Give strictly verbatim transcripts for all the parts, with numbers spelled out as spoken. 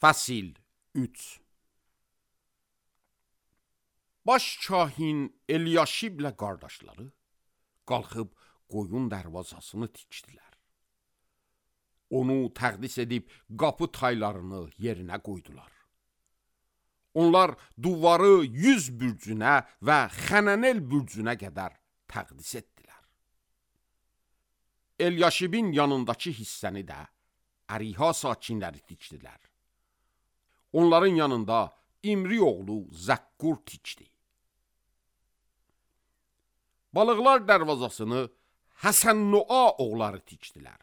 Fəsil üç. Baş kahin Elyaşiblə qardaşları qalxıb qoyun dərvazasını tikdilər. Onu təqdis edib qapı taylarını yerinə qoydular. Onlar duvarı yüz bürcünə və Xənənel bürcünə qədər təqdis etdilər. Elyaşibin yanındakı hissəni də Əriha sakinləri tikdilər. Onların yanında İmri oğlu Zəkkur tikdi. Balıqlar dərvazasını Həsən-Noa oğulları tikdilər.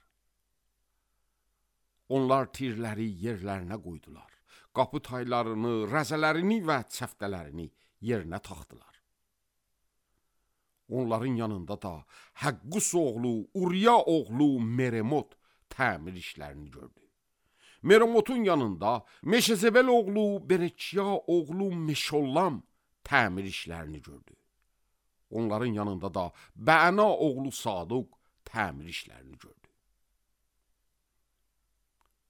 Onlar tirləri yerlərinə qoydular. Qapı taylarını, rəzələrini və çəftələrini yerinə taxdılar. Onların yanında da Həqqus oğlu, Uriya oğlu Meremot təmir işlərini gördü. Meremotun yanında Meşezebel oğlu Berekiya oğlu Meşollam təmir işlərini gördü. Onların yanında da Bəna oğlu Saduq təmir işlərini gördü.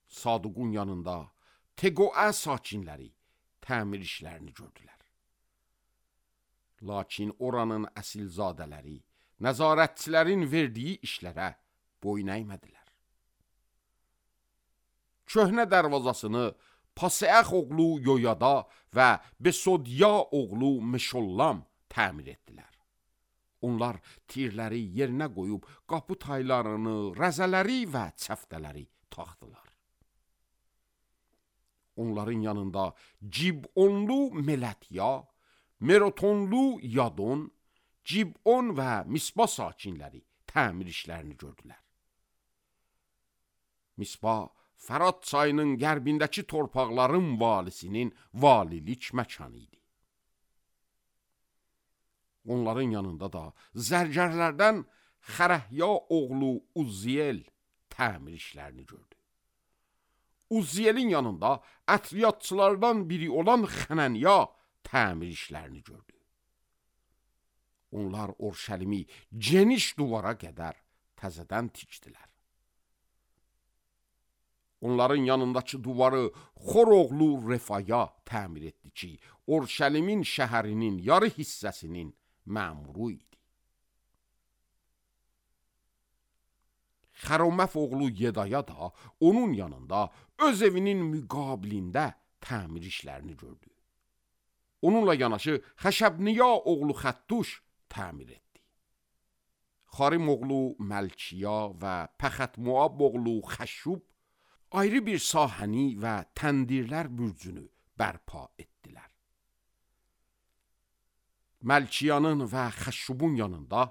Saduqun yanında Teqoə sakinləri təmir işlərini gördülər. Lakin oranın əsilzadələri nəzarətçilərin verdiyi işlərə boyun əymədilər. Köhnə dərvazasını Paseəx oğlu Yoyada və Besodya oğlu Meşollam təmir etdilər. Onlar tirləri yerinə qoyub qapı taylarını, rəzələri və çəftələri taxdılar. Onların yanında Cibonlu Melətya, Merotonlu Yadon, Cibon və Mispa sakinləri təmir işlərini gördülər. Mispa, Fərat çayının qərbindəki torpaqların valisinin valilik məkanı idi. Onların yanında da zərgərlərdən Xərəhya oğlu Uzziyel təmir işlərini gördü. Uzziyelin yanında ətriyyatçılardan biri olan Xənənya təmir işlərini gördü. Onlar Orşəlimi geniş duvara qədər təzədən tikdilər. Onların yanındakı duvarı Xor oğlu Refaya təmir etdi ki, Orşəlimin şəhərinin yarı hissəsinin məmuru idi. Xəroməf oğlu Yedaya da onun yanında öz evinin müqabilində təmir işlərini gördü. Onunla yanaşı Xəşəbniya oğlu Xəttuş təmir etdi. Xarim oğlu Məlkiya və Pəxətmuab oğlu Xəşub ayrı bir sahəni və təndirlər bürcünü bərpa etdilər. Məlkiyanın və Xəşubun yanında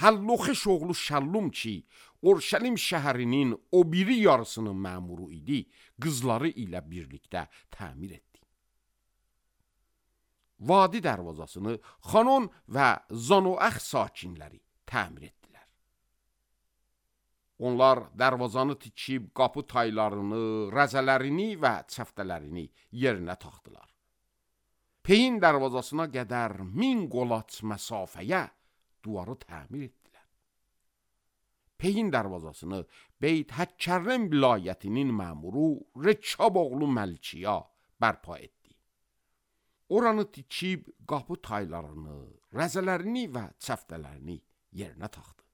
Həlloxeş oğlu Şəllum ki, Orşəlim şəhərinin o biri yarısının məmuru idi, qızları ilə birlikdə təmir etdi. Vadi dərvazasını Xanon və Zanoəx sakinləri təmir etdilər. Onlar dərvazanı tikib qapı taylarını, rəzələrini və çəftələrini yerinə taxdılar. Peyin dərvazasına qədər min qolaç məsafəyə duvarı təmir etdilər. Peyin dərvazasını Beyt Həkkərrəm vilayətinin məmuru Rekab oğlu Məlkiya bərpa etdi. Oranı tikib qapı taylarını, rəzələrini və çəftələrini yerinə taxdı.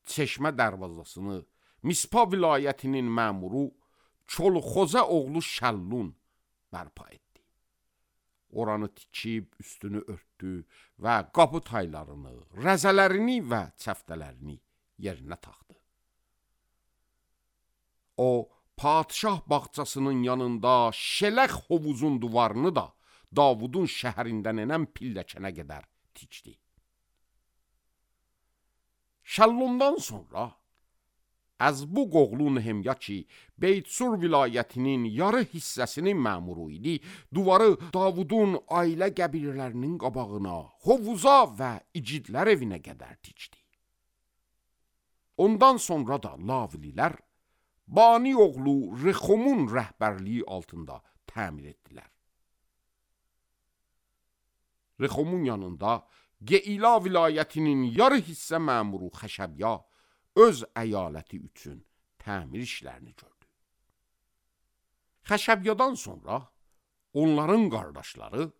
Çeşmə dərvazasını Mispa vilayətinin məmuru Çolxozə oğlu Şəllun bərpa etdi. Oranı tikib üstünü örtdü və qapı taylarını, rəzələrini və çəftələrini yerinə taxdı. O, padşah bağçasının yanında Şələx hovuzun duvarını da Davudun şəhərindən enən pilləkənə qədər tikdi. Şəllundan sonra Əzbuq oğlu Nehemya ki, Beytsur vilayətinin yarı hissəsinin məmuru idi, duvarı Davudun ailə qəbilələrinin qabağına, hovuza və icidlər evinə qədər tikdi. Ondan sonra da Lavlilər Bani oğlu Rexomun rəhbərliyi altında təmir etdilər. Rexomun yanında Geila vilayətinin yarı hissə məmuru Xəşəbya öz əyaləti üçün təmir işlərini gördü. Xəşəbyadan sonra onların qardaşları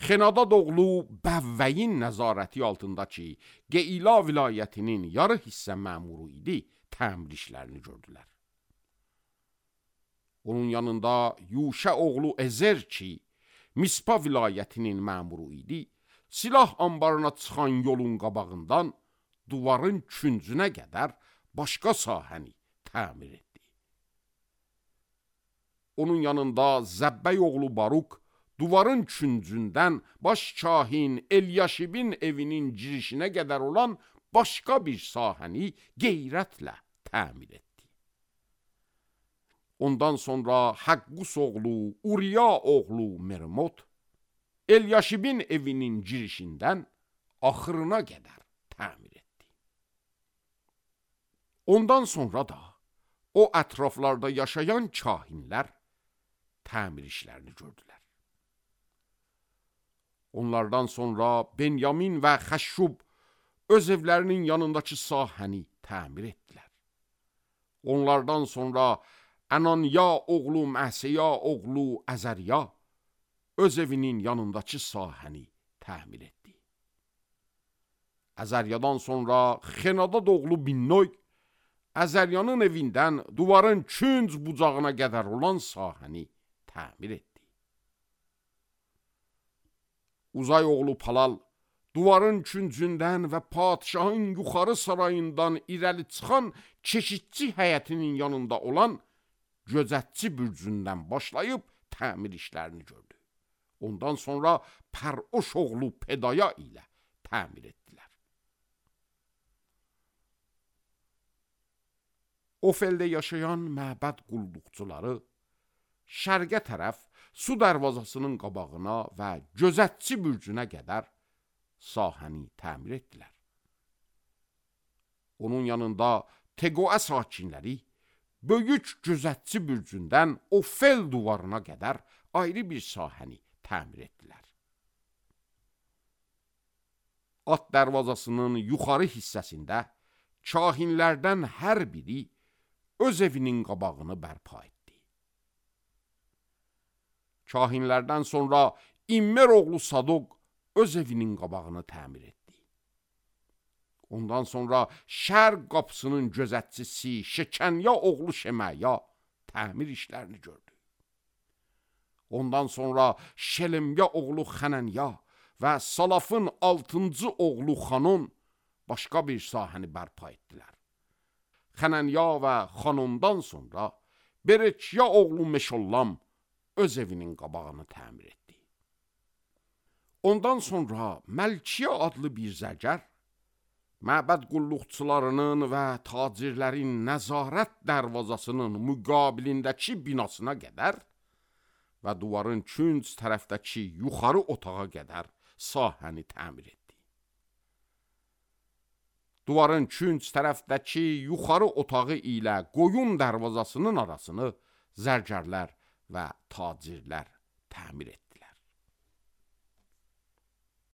Xenadad oğlu Bəvvəyin nəzarəti altındakı Qeyla vilayətinin yarı hissə məmuru idi, təmir işlərini gördülər. Onun yanında Yuşə oğlu Ezer ki, Mispa vilayətinin məmuru idi, silah ambarına çıxan yolun qabağından duvarın küncünə qədər başqa sahəni təmir etdi. Onun yanında Zəbbəy oğlu Baruk duvarın küncündən baş kahin Elyaşibin evinin girişinə qədər olan başqa bir sahəni qeyrətlə təmir etdi. Ondan sonra Həqqus oğlu Uriya oğlu Mermot Elyaşibin evinin girişindən axırına qədər təmir etdi. Ondan sonra da o ətraflarda yaşayan kahinlər təmir işlərini gördülər. Onlardan sonra Benyamin və Xəşşub öz evlərinin yanındakı sahəni təmir etdilər. Onlardan sonra Ənanya oğlu Məsəya oğlu Əzərya öz evinin yanındakı sahəni təmir etdi. Əzəryadan sonra Xenadad oğlu Binnoy Əzəryanın evindən duvarın künc bucağına qədər olan sahəni təmir etdi. Uzay oğlu Palal duvarın küncündən və padişahın yuxarı sarayından irəli çıxan keşikçi həyətinin yanında olan gözətçi bürcündən başlayıb təmir işlərini gördü. Ondan sonra Pəroş oğlu Pedaya ilə təmir etdilər. Ofeldə yaşayan məbəd qulluqçuları şərqə tərəf su dərvazasının qabağına və gözətçi bürcünə qədər sahəni təmir etdilər. Onun yanında Teqoə sakinləri böyük gözətçi bürcündən Ofel duvarına qədər ayrı bir sahəni təmir etdilər. At dərvazasının yuxarı hissəsində kahinlərdən hər biri öz evinin qabağını bərpa etdi. Kahinlərdən sonra İmmer oğlu Sadoq öz evinin qabağını təmir etdi. Ondan sonra şərq qapısının gözətçisi Şekənya oğlu Şeməya təmir işlərini gördü. Ondan sonra Şelemya oğlu Xənənya və Salafın altıncı oğlu Xanon başqa bir sahəni bərpa etdilər. Xənənya və Xanondan sonra Bereçya oğlu Meşollam öz evinin qabağını təmir etdi. Ondan sonra Məlkiyə adlı bir zərgər məbəd qulluqçularının və tacirlərin nəzarət dərvazasının müqabilindəki binasına qədər və duvarın künc tərəfdəki yuxarı otağa qədər sahəni təmir etdi. Duvarın künc tərəfdəki yuxarı otağı ilə qoyun dərvazasının arasını zərgərlər və tacirlər təmir etdilər.